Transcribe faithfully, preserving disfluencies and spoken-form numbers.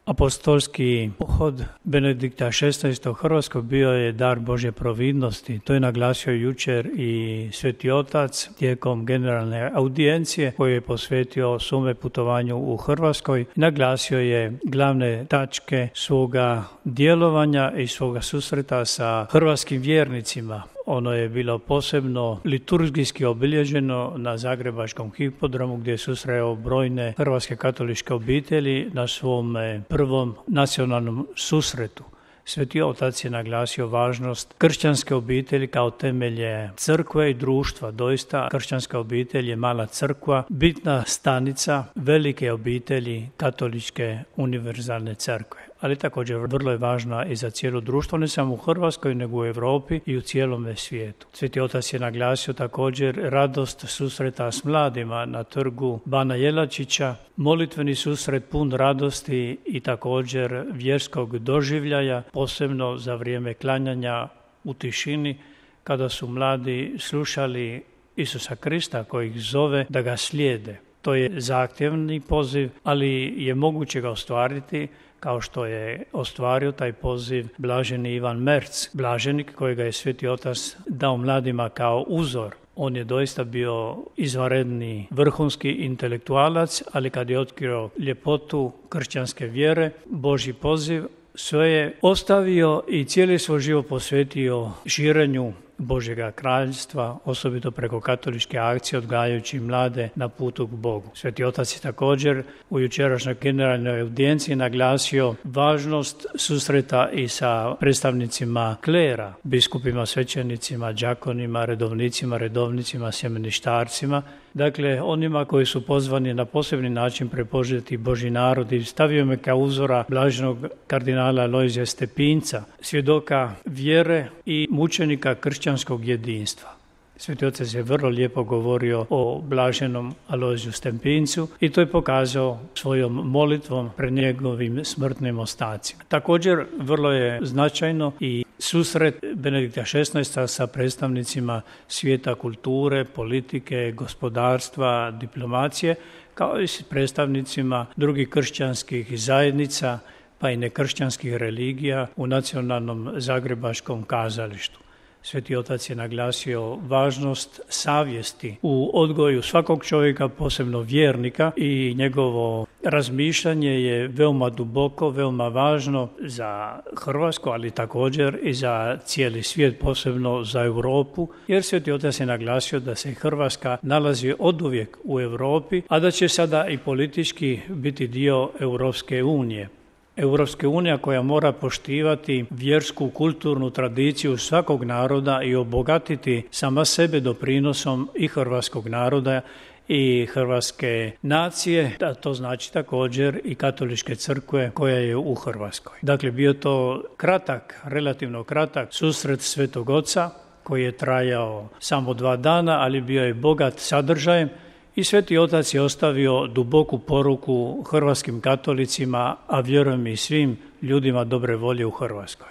Apostolski pohod Benedikta šesnaestog. u Hrvatskoj bio je dar Božje providnosti. To je naglasio jučer i Sveti Otac tijekom generalne audijencije koju je posvetio svome putovanju u Hrvatskoj. Naglasio je glavne tačke svoga djelovanja i svoga susreta sa hrvatskim vjernicima. Ono je bilo posebno liturgijski obilježeno na Zagrebačkom hipodromu gdje je susreo brojne hrvatske katoličke obitelji na svom prvom nacionalnom susretu. Sveti Otac je naglasio važnost kršćanske obitelji kao temelje crkve i društva. Doista kršćanska obitelj je mala crkva, bitna stanica velike obitelji katoličke univerzalne crkve. Ali također vrlo je važna i za cijelo društvo, ne samo u Hrvatskoj, nego u Europi i u cijelome svijetu. Sveti Otac je naglasio također radost susreta s mladima na trgu Bana Jelačića, molitveni susret pun radosti i također vjerskog doživljaja, posebno za vrijeme klanjanja u tišini, kada su mladi slušali Isusa Krista koji ih zove da ga slijede. To je zahtjevni poziv, ali je moguće ga ostvariti kao što je ostvario taj poziv blaženi Ivan Merc, blaženik kojega je Sveti Otac dao mladima kao uzor. On je doista bio izvanredni vrhunski intelektualac, ali kad je otkrio ljepotu kršćanske vjere, Božji poziv, sve je ostavio i cijeli svoj život posvetio širenju Božjega kraljstva, osobito preko katoličke akcije, odgajajući mlade na putu k Bogu. Sveti Otac je također u jučerašnjoj generalnoj audijenciji naglasio važnost susreta i sa predstavnicima klera, biskupima, svećenicima, đakonima, redovnicima, redovnicima, sjemeništarcima, dakle onima koji su pozvani na posebni način prepožeti Božji narod, i stavio me kao uzora blaženog kardinala Alojzija Stepinca, svjedoka vjere i mučenika kršćanskog jedinstva. Sveti Otac je vrlo lijepo govorio o blaženom Alojziju Stepincu i to je pokazao svojom molitvom pred njegovim smrtnim ostacima. Također vrlo je značajno i susret Benedikta šesnaestog. sa predstavnicima svijeta kulture, politike, gospodarstva, diplomacije, kao i s predstavnicima drugih kršćanskih zajednica, pa i nekršćanskih religija u Nacionalnom zagrebačkom kazalištu. Sveti Otac je naglasio važnost savjesti u odgoju svakog čovjeka, posebno vjernika, i njegovo razmišljanje je veoma duboko, veoma važno za Hrvatsku, ali također i za cijeli svijet, posebno za Europu, jer Sveti Otac je naglasio da se Hrvatska nalazi oduvijek u Europi, a da će sada i politički biti dio Europske unije. Europska unija koja mora poštivati vjersku, kulturnu tradiciju svakog naroda i obogatiti sama sebe doprinosom i hrvatskog naroda i hrvatske nacije, da to znači također i katoličke crkve koja je u Hrvatskoj. Dakle, bio to kratak, relativno kratak susret Svetog Oca koji je trajao samo dva dana, ali bio je bogat sadržajem. I Sveti Otac je ostavio duboku poruku hrvatskim katolicima, a vjerujem i svim ljudima dobre volje u Hrvatskoj.